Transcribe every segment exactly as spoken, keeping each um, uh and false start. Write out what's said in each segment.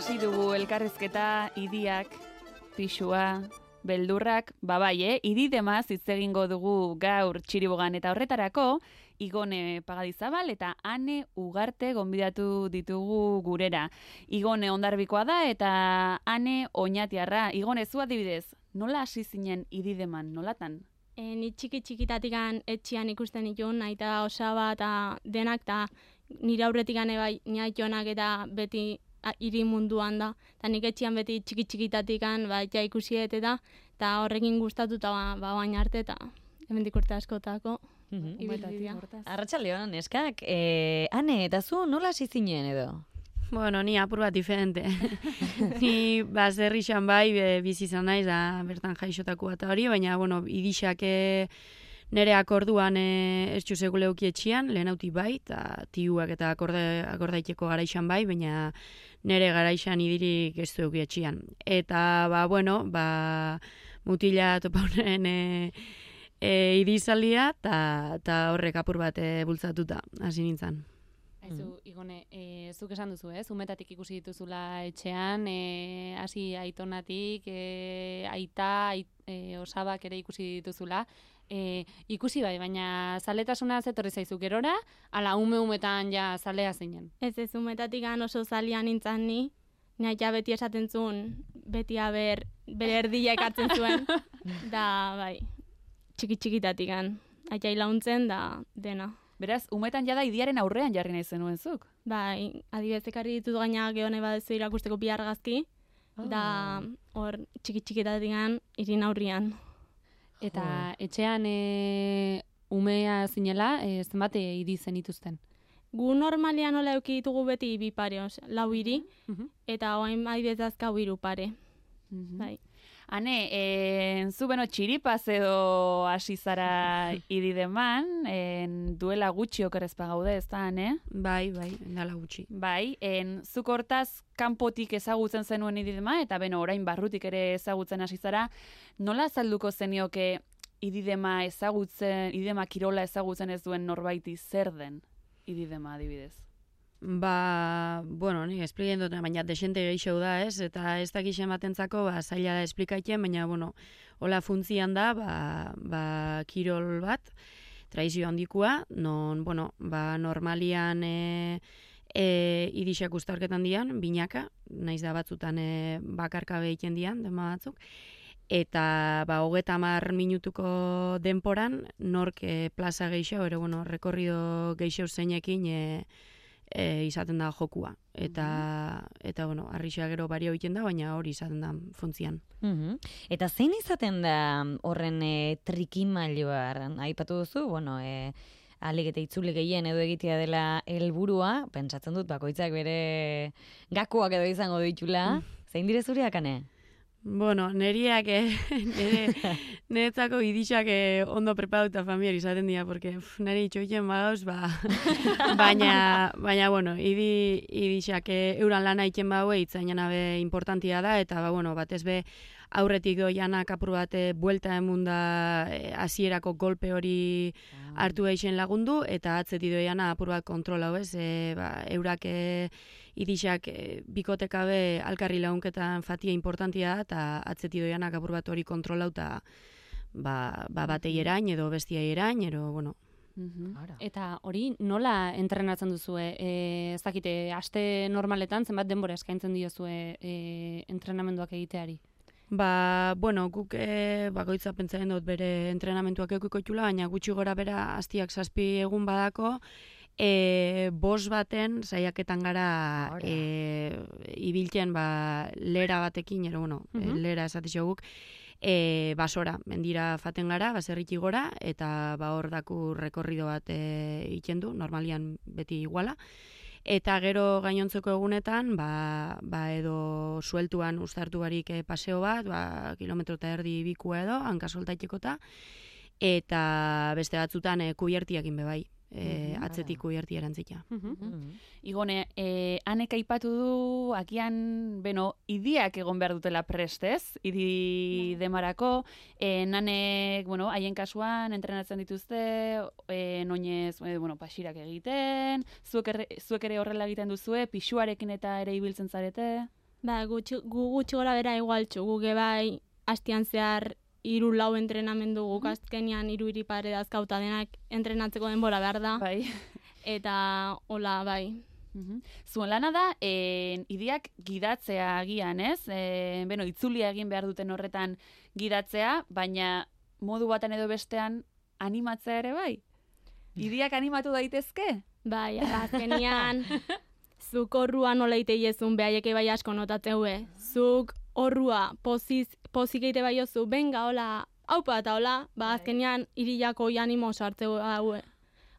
hasi dugu elkarrizketa, idiak, pixua, beldurrak, babai, eh? Ididemaz hitz egingo dugu gaur Txiribogan eta horretarako, Igone Pagadizabal eta Ane Ugarte gonbidatu ditugu gurera. Igone ondarbikoa da eta Ane Oñatiarra. Igone, zu adibidez, nola hasi zinen idideman, nolatan? E, ni txiki txikitatikan etxian ikusten nituen, aita osaba eta denak, eta nire aurretikan ebai niaitonak eta beti hiri munduan da. Eta nik etxian beti txiki txikitatikan ba, ja ikusiet eta eta horrekin gustatuta ba, ba baina arte eta hemendik urte askotako. Mm-hmm. Arratsaldeon, neskak, eh, Ane, eta zu nola hasi zinen edo? Bueno, ni apur bat diferente. Ni baserri xan bai, bizi izan naiz, da bertan jaixotako eta hori, baina, bueno, idixak nere akorduan ez txuzegu leuki etxian, lehen hauti bai, eta tiuak eta akorde, akordaiteko garaixan bai, baina nere garaixan idirik ez du etxian. Eta, ba, bueno, ba, mutila topaunen e, e, idizaldia, eta horrek apur bat e, bultzatuta, hasi nintzen. Aizu, Igone, e, zuk esan duzu, ez? Umetatik ikusi dituzula etxean, e, hasi aitonatik, e, aita, ait, e, osabak ere ikusi dituzula. E, ikusi bai, baina zaletasuna zetorri zaizu gerora, ala ume-umetan ja zalea zinen. Ez ez, umetatik oso zalia nintzen ni, nahi ja beti esaten zuen, beti aber, bere erdila ekartzen zuen, da bai, txiki-txikitatik aita ilauntzen da dena. Beraz, umetan jada idiaren aurrean jarri nahi zenuen zuk? Bai, adibidez ekarri ditut gaina geone badezu irakusteko bi argazki, oh. Da hor txiki-txikitatik irin aurrian. Eta oh. etxean e, umea zinela, e, zenbat idi zenituzten? Gu normalian nola euki ditugu beti bi pare, lau hiri, uh-huh. Eta oain adibidez azkau hiru pare. Uh-huh. Bai. Hane, e, zu beno txiripaz edo hasi zara idideman, en, duela gutxi okerrezpa gaude, ez da, Hane? Bai, bai, dela gutxi. Bai, en, zuk hortaz kanpotik ezagutzen zenuen ididema, eta beno, orain barrutik ere ezagutzen hasi zara, nola azalduko zenioke ididema ezagutzen, ididema kirola ezagutzen ez duen norbaiti zer den ididema adibidez? Ba, bueno, ni esplikatzen dut, baina desente gehiago da, ez? Eta ez dakixen batentzako, ba, zaila da esplikatzen, baina, bueno, hola funtzian da, ba, ba, kirol bat, tradizio handikua, non, bueno, ba, normalian e, e, idixak ustarketan dian, binaka, naiz da batzutan e, bakarkabe egiten dian, dema batzuk, eta ba, hogeta hamar minutuko denporan, nork e, plaza gehiago, ere, bueno, rekorrido gehiago zeinekin, e, E, izaten da jokua. Eta, mm-hmm. eta bueno, arrixea gero bario egiten da, baina hori izaten da funtzian. Mm-hmm. Eta zein izaten da horren e, trikimailoa? Aipatu duzu, bueno, e, alik eta itzuli gehien edo egitea dela helburua, pentsatzen dut bakoitzak bere gakoak edo izango ditula. Mm. Zein dire zureak, Ane? Bueno, neriak, eh, nire, niretzako idixak eh, ondo preparatuta familiar izaten dira, porque uf, nire itxoiten bagauz, ba, baina, baina, bueno, idi, idixak eh, euran lana iten baue, itzainan abe importantia da, eta, ba, bueno, batez be, aurretik doianak apur bat e, buelta emunda hasierako e, golpe hori ah. hartu eixen lagundu, eta atzeti doiana apur bat kontrola, ez, e, ba, eurak e, idixak e, bikotekabe alkarri lagunketan fatia importantia da, eta atzeti doianak apur bat hori kontrolau, eta ba, ba batei erain, edo bestiai erain, edo, bueno. Mm-hmm. Eta hori nola entrenatzen duzue? E, ez dakite, aste normaletan zenbat denbora eskaintzen diozue e, entrenamenduak egiteari? Ba, bueno, guk e, bakoitza pentsaren dut bere entrenamentuak eukiko itxula, baina gutxi gora bera hastiak zazpi egun badako, e, bos baten saiaketan gara e, ibiltzen ba, lera batekin, ero, bueno, mm-hmm. lera esatixo guk, e, basora, mendira faten gara, baserriki gora, eta ba, hor daku rekorrido bat e, iten du, normalian beti iguala. Eta gero gainontzeko egunetan, ba, ba edo sueltuan ustartu barik e, paseo bat, ba, kilometro eta erdi bikua edo, hankasoltaitekota, eta beste batzutan e, kubiertiakin bebai. E, atzetik kubierti erantzita. Uh-huh. Uh-huh. Igone, e, Anek aipatu du, akian, beno, idiak egon behar dutela prestez, idi demarako, e, nanek, bueno, haien kasuan, entrenatzen dituzte, e, noinez, e, bueno, pasirak egiten, zuek, erre, zuek ere horrela egiten duzue, pixuarekin eta ere ibiltzen zarete? Ba, gutxi, gu gutxi gora bera igualtxu, guke bai hastian zehar hiru lau entrenamendu guk azkenean hiru hiri pare dazkauta denak entrenatzeko denbora behar da. Bai. Eta hola, bai. Mhm. Zuen lana da, en, idiak gidatzea agian, ez? E, beno, itzulia egin behar duten horretan gidatzea, baina modu baten edo bestean animatzea ere bai? Idiak animatu daitezke? Bai, azkenean, zuk horrua nola iteizun behaieke bai asko notatzeue. Zuk horrua poziz, pozik eite bai ozu, benga, hola, haupa eta hola, ba, azkenean irilako animo sartzeu haue.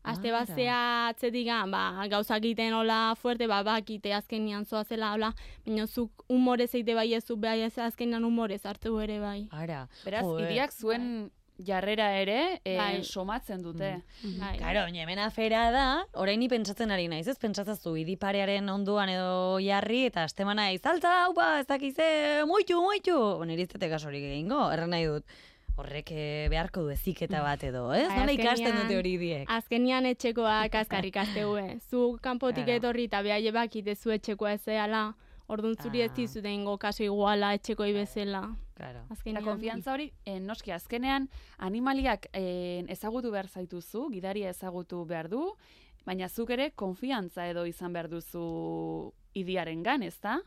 Aste Ara. bazea atzetikan, ba, gauzak egiten hola fuerte, ba, bakite azkenean zoazela hola, baina zuk humorez eite bai ezu, behai ez azkenean humorez hartzeu ere bai. Ara. Beraz, Joe. idiak zuen jarrera ere eh, Bai. somatzen dute. Bai. Karo, baina hemen afera da, orain ni pentsatzen ari naiz, ez pentsatzazu idiparearen onduan edo jarri, eta astemana izaltza, haupa, ez dakize, muitu, muitu. Nire iztete kasorik egingo, erran nahi dut. Horrek eh, beharko du eziketa bat edo, ez? Bai, Nola ikasten azkenean- dute hori idiek? Azkenean etxekoak azkarrik asteue. Zu kanpotik Claro. etorri eta behaie bakite zu etxekoa ez zehala, orduan zuri ez Ah. dizute ingo kaso iguala etxekoi bezala. Claro. Eta Azkenean. konfiantza hori, eh, noski azkenean, animaliak eh, ezagutu behar zaituzu, gidaria ezagutu behar du, baina zuk ere konfiantza edo izan behar duzu idiarengan, ezta?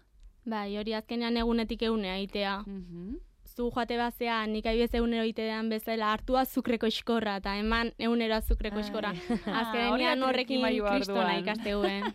Bai, hori azkenean egunetik egune aitea. Mhm. Zu joate bazea, nik aibez egunero itean bezala hartua zukreko iskorra, eta eman egunero azukreko Ai. iskorra. Hori Azkenean da horrekin trikimailua kristona orduan. ikastegue.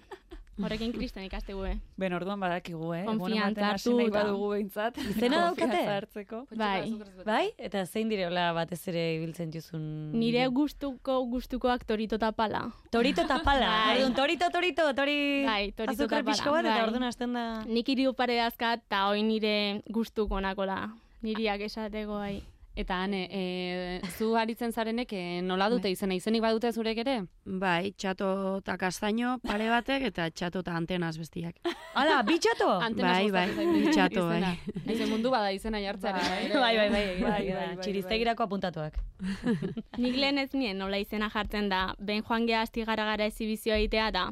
Horrekin kristona ikastegue. Ben orduan badakigu, eh? Konfiantza Egunen batean hasi hartu nahi eta- badugu behintzat. Izena daukate? konfiantza hartzeko. Bai. Bai? Eta zein direola batez ere ibiltzen juzun? Nire gustuko gustukoak torito eta pala. Torito eta pala. Bai. Orduan, torito, torito, tori... Bai, torito eta azukre pala. pixko bat, eta Bai. orduan hasten da... Nik hiru pare dazkat, eta hoi nire gustuko nakola. Niriak esateko bai. Eta ane, e, zu aritzen zarenek e, nola dute izena, izenik badute zurek ere? Bai, txato eta kastaino pare batek eta txato eta antenaz bestiak. Hala, bitxato? Antenas Bai, bai, gustatzen zait txato, izena. bai. Naize mundu bada izena jartzearen. Bai. bai. Bai, bai, bai, Bai, bai, bai, bai, bai, txiriztegirako apuntatuak. Nik lehen ez nien nola izena jartzen da, ben joan geha asti gara gara ezibizioa egitea da.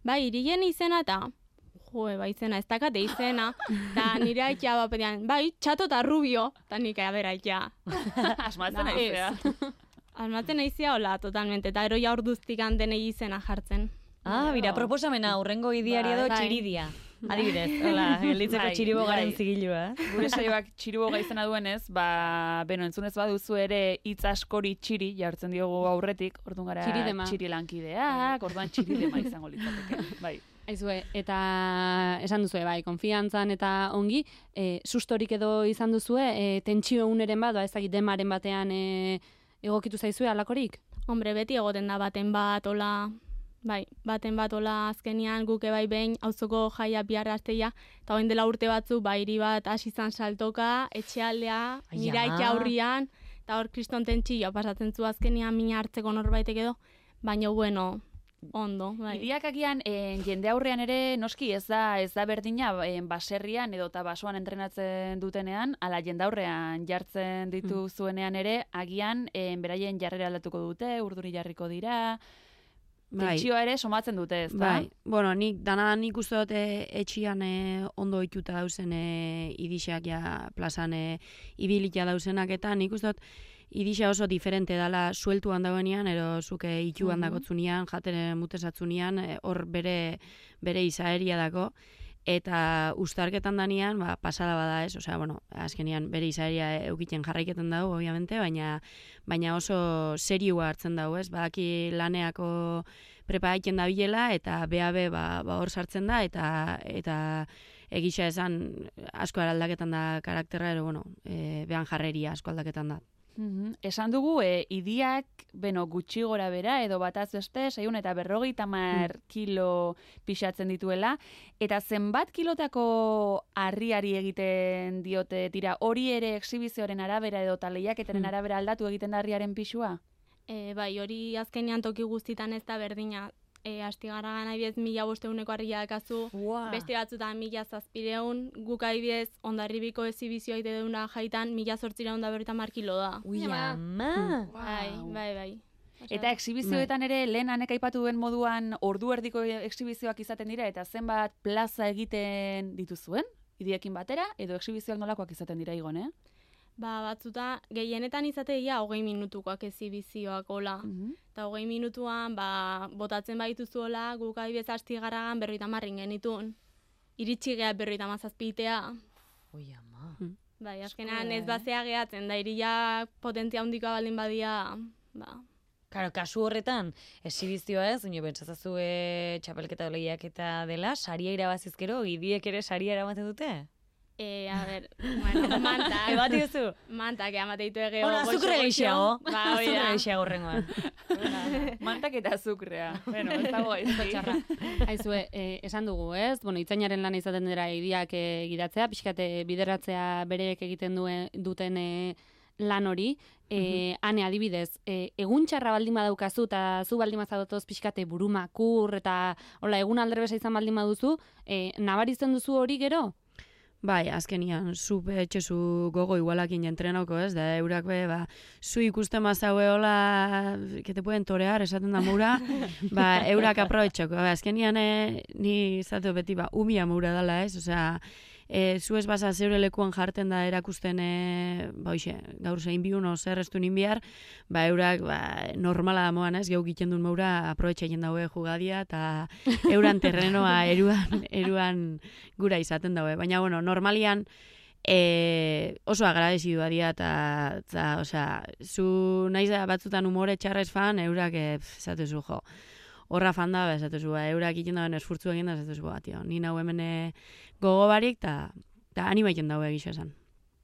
Bai, irigen izena eta, joe, bai izena, ez dakate izena, eta nire aitea bapedean, bai, txato eta rubio, eta nik abera aitea. Asmatzen Da, aizea. Almatzen aizia hola, totalmente, eta eroia orduztik denei izena jartzen. Ah, bira, proposamena, urrengo idiari edo Bai. txiridia. Adibidez, hola, gelditzeko Bai, txiribogaren bai. zigilua. Gure saioak txiruboga izena duenez, ba, beno, entzunez baduzu ere hitz askori txiri jartzen diogu aurretik, orduan gara Txiridema. txiri lankideak, orduan txiridema izango litzateke. Bai. Aizue, eta esan duzue, bai, konfiantzan eta ongi, e, sustorik edo izan duzue, e, tentsio uneren bat, ba, ez dakit demaren batean e, egokitu zaizue alakorik? Hombre, beti egoten da baten bat, hola, bai, baten bat, hola, azkenian guke bai behin, auzoko jaia bihar asteia, eta orain dela urte batzu, bai, hiri bat hasi zan saltoka, etxealdea, Ai, nire ama. aita aurrian, eta hor kriston tentsioa pasatzen zu azkenian mina hartzeko norbaitek edo, baina bueno, ondo, bai. Idiak agian en, jende aurrean ere noski ez da ez da berdina en, baserrian edo eta basoan entrenatzen dutenean, ala jende aurrean jartzen ditu zuenean ere, agian en, beraien jarrera aldatuko dute, urduri jarriko dira, Bai. tentsioa ere somatzen dute, ez da? Bai, bueno, nik, dana nik uste dut eh, etxian eh, ondo ituta dauzen eh, idixak ja plazan eh, ibilitia dauzenak, eta nik uste dut idixa oso diferente dala sueltuan dauenean, ero zuke ituan Mhm. dakotzunean, jaten mutesatzunean, eh, hor bere, bere izaeria dako, eta ustarketan danean, ba, pasada bada ez, osea, bueno, azkenean bere izaeria eukiten jarraiketen dago, obviamente, baina, baina oso seriua hartzen dago, ez, badaki laneako preparaiten da bilela, eta B A B ba, ba hor sartzen da, eta eta egisa esan asko aldaketan da karakterra, ero, bueno, e, behan jarreria asko aldaketan da. Mhm. Esan dugu, e, idiak, beno, gutxi gora bera, edo bataz beste, seiehun eta berrogeita hamar kilo pixatzen dituela, eta zenbat kilotako harriari egiten diote tira, hori ere exhibizioaren arabera edo taleiaketaren Hmm. arabera aldatu egiten da harriaren pixua? E, bai, hori azkenean toki guztitan ez da berdina. E, astigara gana ibidez mila bosteuneko harria dakazu, Wow. beste batzutan mila zazpireun, guk adibidez ondarribiko ezibizioa ite deuna jaitan mila zortzireun da berrita markilo da. Ui, Ama. ama. Bai, bai, bai. Osea, Eta exhibizioetan ere, lehen anek aipatu duen moduan ordu erdiko exhibizioak izaten dira, eta zenbat plaza egiten dituzuen? idiekin batera, edo exhibizioak nolakoak izaten dira Igon, eh? Ba, batzuta, gehienetan izatea hogei minutukoak ezibizioak hola. Mhm. Eta hogei minutuan, ba, botatzen baituzu hola, guk adibidez hasti garagan berroita marrin genitun. Iritsi geha berroita mazazpitea. Oi, ama. Bai, azkenan Asko, ez eh? bazea gehatzen, da iria potentzia handikoa baldin badia, ba, Claro, kasu horretan, exhibizioa ez, ino pentsazazu e, txapelketa lehiaketa dela, saria irabazizkero, idiek ere saria eramaten dute? e, a ber, bueno, mantak, Ebati duzu? mantak amate ditu egeo. Bueno, azukre gehiago. Ba, hori Azukre da. gehiago horrengoan. Mantak eta azukrea. Bueno, ez dago ez Txarra. Aizue, eh, esan dugu, ez? Bueno, itzainaren lana izaten dira idiak eh, gidatzea, pixkate bideratzea bereek egiten duen, duten eh, lan hori. E, ane adibidez, e, egun txarra baldin badaukazu eta zu baldin bazatoz pixkate burumakur eta hola, egun aldrebesa izan baldin baduzu, e, nabarizten duzu hori gero? Bai, azkenian, zu etxezu gogo igualakin entrenauko, ez? Da, eurak be, ba, zu ikusten mazaue hola, que te pueden torear, esaten da moura, ba, eurak aprobetxoko. Ba, azkenian, eh, ni izateo beti, ba, umia moura dala, ez? Osea, e, zu ez baza zeure lekuan jarten da erakusten, e, ba, hoxe, gaur zein biun, o zer estu ninbiar, ba, eurak, ba, normala da moan, ez? Geu giten duen moura, aprobetxeien daue jugadia, eta euran terrenoa eruan, eruan gura izaten daue. Baina, bueno, normalian, e, oso agradezidua dira, eta, eta, osea, zu naiz da batzutan umore txarrez fan, eurak, e, esatezu, jo, horra fan da, esatezu, ba, eurak iten dauen esfurtzu egin da, esatezu, ba, tio, ni nau hemen e, gogo barik, eta anima iten daue egisa esan.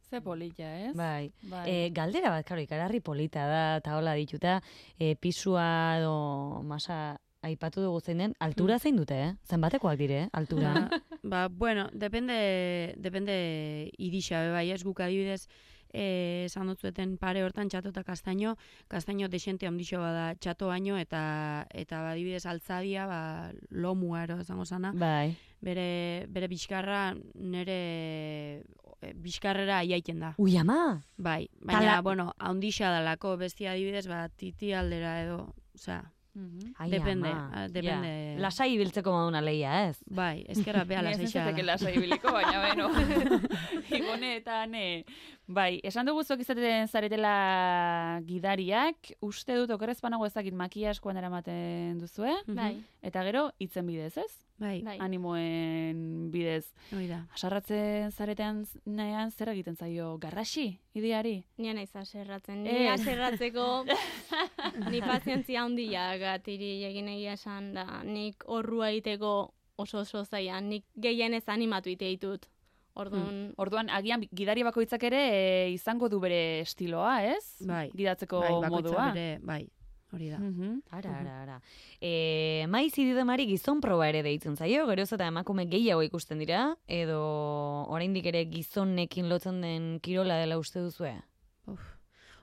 Ze polita, ez? Bai. Bai. E, galdera bat, karo, ikaragarri polita da, eta hola dituta, e, pisua edo masa aipatu dugu zein den, altura zein dute, eh? Zenbatekoak dire, eh? Altura. Ba, ba, bueno, depende, depende idisa, be bai, ez guk adibidez, eh, esan dutzueten pare hortan txato eta kastaino, kastaino desente handixo bada txato baino, eta, eta ba, adibidez altzadia, ba, lomua ero, zango zana, Bai. bere, bere bizkarra nere e, bizkarrera aiaiten da. Ui, ama! Bai, baina, Tala- bueno, handixa dalako, bestia adibidez, ba, titi aldera edo, osea, Mhm. Ai, Depende, ama. ah, depende. Ja. Lasai ibiltzeko moduna leia, ez? bai, ezkerra beha Ni ez lasaixa. nintzateke lasai ibiliko, baina beno. Igoneetan, eh. Bai, esan dugu zuek izaten zaretela gidariak, uste dut okerrez panago ezakit makia askoan eramaten duzue, Bai, eta gero hitzen bidez, ez? Bai, bai. Animoen bidez. hori da. Asarratzen zaretean nean zer egiten zaio? Garrasi, ideari? Nien naiz aserratzen. Ni Ez. aserratzeko ni pazientzia handia gatiri egin egia esan da. Nik horrua egiteko oso oso zaila. Nik gehienez animatu ite ditut. Orduan, Orduan, agian gidari bakoitzak ere e, izango du bere estiloa, ez? Bai. Gidatzeko Bai, bakoitza modua. bere, bai, hori da. Mhm. Ara, ara, ara. E, maiz ididemari gizon proba ere deitzen zaio, geroz eta emakume gehiago ikusten dira, edo oraindik ere gizonekin lotzen den kirola dela uste duzue?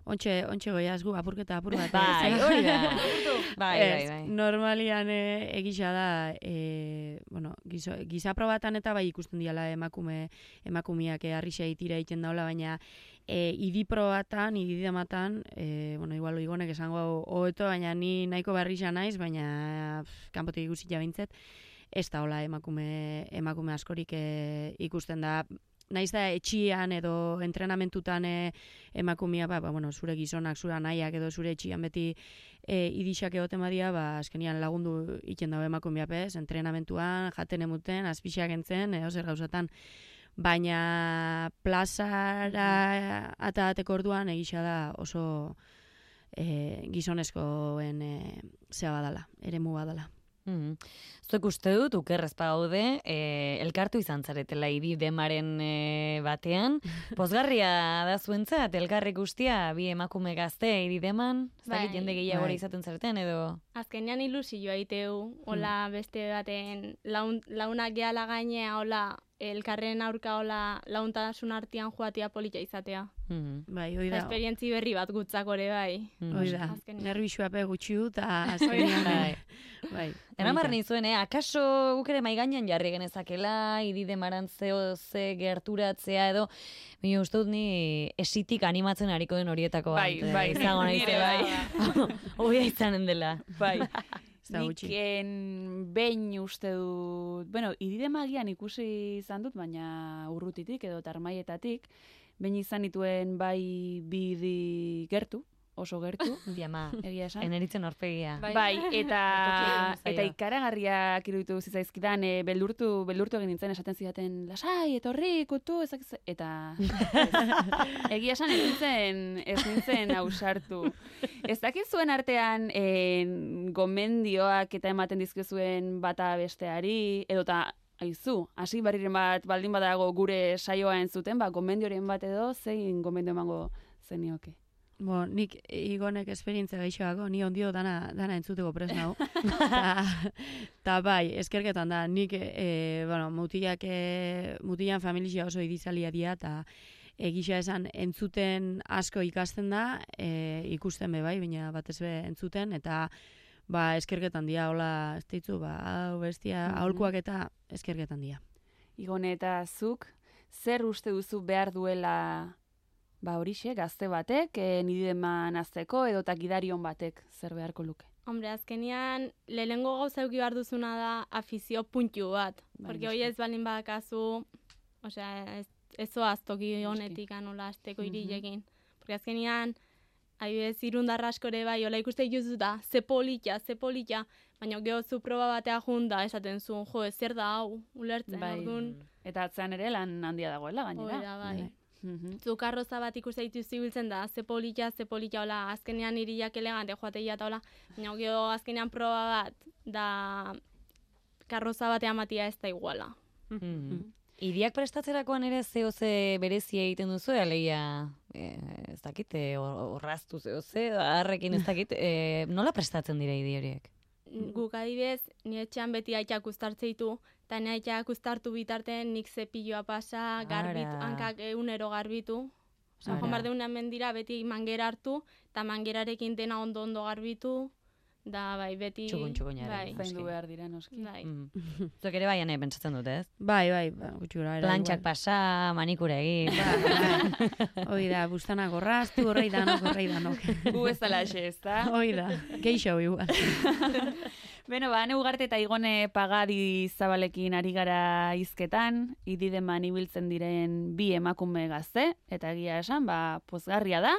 Ontxe, ontxe goiaz gu, apurketa apur bat. Bai, ez? hori da. Bai, bai, Ez, bai. normalian e, egisa da, e, bueno, gizo, gizaprobatan eta bai ikusten diala emakume, emakumiak e, arrixa itira egiten daula, baina e, idiprobatan, ididematan, e, bueno, igual Igonek esango hau hobeto, baina ni nahiko barrixa naiz, baina pff, kanpotik ikusi jabintzet, ez da hola emakume, emakume askorik e, ikusten da. Naiz da etxian edo entrenamentutan e, emakumia, ba, ba, bueno, zure gizonak, zure anaiak edo zure etxian beti e, idixak egoten badia, ba, azkenian lagundu iten dago emakumia pez, entrenamentuan, jaten emuten, azpixak entzen, e, ozer gauzatan. Baina plazara atateko orduan egisa da oso e, gizonezkoen e, zea badala, eremu badala. Mm. Zuek uste dut, ukerrez gaude, e, elkartu izan zaretela ididemaren e, batean. Pozgarria da zuentzat, elkarrik guztia, bi emakume gazte idideman, ez dakit Bai. jende gehiago Bai. izaten zareten, edo... azkenean ilusioa iteu, hola beste baten laun, launak gehala gainea, hola elkarren aurka hola launtasun artean joatea polita izatea. Mm. Bai, hori Eta da. esperientzi berri bat gutzak ore bai. Mm. Hori da. Azkenean. Nervixua pe gutxi dut, eta azkenean, Bai. bai. Eramar polita. nizuen, eh? Akaso guk ere mai gainean jarri genezakela, ididemaran zeo ze gerturatzea edo, bine uste dut ni esitik animatzen hariko den horietako Bai, bat, eh, bai, izango nire naizela. bai. Hobia izanen dela. Bai. Ez da Nik gutxi. en, behin uste dut, bueno, idide magian ikusi izan dut, baina urrutitik edo tarmaietatik, behin izan dituen bai bidi gertu, oso gertu, Diama, egia esan. eneritzen orpegia. Bai. Bai, eta Zaio. eta ikaragarriak iruditu zitzaizkidan, e, beldurtu, beldurtu egin nintzen esaten zidaten, lasai, etorri, kutu, ezak, eta ez, egia esan ez nintzen, ez nintzen ausartu. Ez dakit zuen artean en, gomendioak eta ematen dizkizuen bata besteari, edota aizu, hasi barriren bat baldin badago gure saioa entzuten, ba, gomendioren bat edo, zein gomendio emango zenioke. Bo, nik igonek esperientzia gaixoako, ni ondio dana, dana entzuteko pres nau. ta, ta bai, eskerketan da, nik, e, bueno, mutilak, e, mutilan familia oso idizalia dira, eta egisa esan entzuten asko ikasten da, e, ikusten be bai, baina batez be entzuten, eta ba, eskerketan dira, hola, ez ditzu, ba, hau bestia, Mhm. aholkuak eta eskerketan dira. Igone eta zuk, zer uste duzu behar duela ba horixe, gazte batek, e, nideman azteko, edo eta gidarion batek zer beharko luke? Hombre, azkenean, lehenengo gauza euki behar duzuna da afizio puntu bat. Bai, Porque noski. hoi ez balin badakazu, osea, ez, ez zoaz toki honetik anola azteko Mhm. irilekin. Porque azkenean, adibidez, irundarra askore bai, hola ikuste dituzu da, ze polita, ze polita, baina geho zu proba batea junda esaten zuen, jo, ez zer da hau, ulertzen, Bai. orduan, Eta atzean ere lan handia dagoela gainera. hori da, bai. Bai. Mhm. Zu karroza bat ikuste dituzu ibiltzen da, ze polita, ze polita, hola, azkenean iriak elegante joateia eta hola, baina geho azkenean proba bat, da karroza batean matia ez da iguala. Mm. Iriak prestatzerakoan ere zeo ze berezia egiten duzu, alegia, e, ez dakit, e, or- orraztu zeo ze, harrekin ez dakit, e, nola prestatzen dira idi horiek? Guk adibidez, ni etxean beti aitak uztartze ditu, eta ni aitak uztartu bitartean nik zepilloa pasa, garbitu, Ara. hankak egunero garbitu. Osa, Ara. joan behar deunean mendira beti mangera hartu, eta mangerarekin dena ondo-ondo garbitu, da bai, beti... Txukun, txukunaren. Bai, Zaindu Noski. behar dira, noski. bai. Mm. Zuek ere baian pentsatzen dut, ez? Bai, bai, ba, gutxi gora bera, Plantxak igual. pasa, manikura egin. Bai, hoi da, bustana gorraztu, horrei danok, horrei danok. Gu ez dala xe, ez da? Hoi da, geixo igual. Beno, ba, ane ugarte eta igone pagadi zabalekin ari gara hizketan, idideman ibiltzen diren bi emakume gazte, eta egia esan, ba, pozgarria da,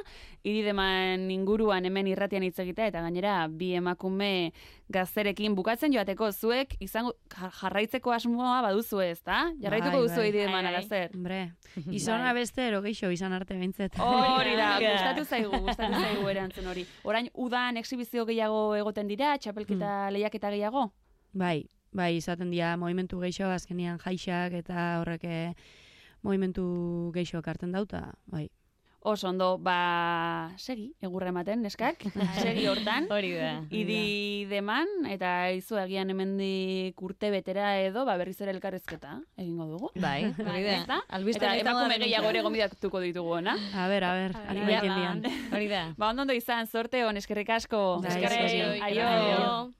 idideman inguruan hemen irratian hitz egitea, eta gainera bi emakume gazterekin bukatzen joateko zuek, izango jar- jarraitzeko asmoa baduzu ez, da? Jarraituko Bai, duzu bai. idideman Bai, bai. alazer. Hombre, izona beste ero geixo izan arte behintzet. Hori da, Bai. gustatu zaigu, gustatu zaigu erantzun hori. Orain, udan exhibizio gehiago egoten dira, txapelketa lehiaketa gehiago? Bai, bai, izaten dira movimentu geixo, azkenian jaixak eta horrek eh, movimentu geixo hartzen dauta, bai. Oso ondo, ba, segi, egurra ematen, neskak, segi hortan. Hori da. Idi deman, eta izu agian hemendik urte betera edo, ba, berriz ere elkarrezketa egingo dugu. Bai, hori da. Ez da? Albiste Eta honetan emakume da gehiago ere gonbidatuko ditugu, ona? A ber, a ber, A ber, animekin a ber. dian. Hori da. Ba, ondo ondo izan, sorte hon, eskerrik asko. Bai, Eskerrik, eskerrik. aio. Aio.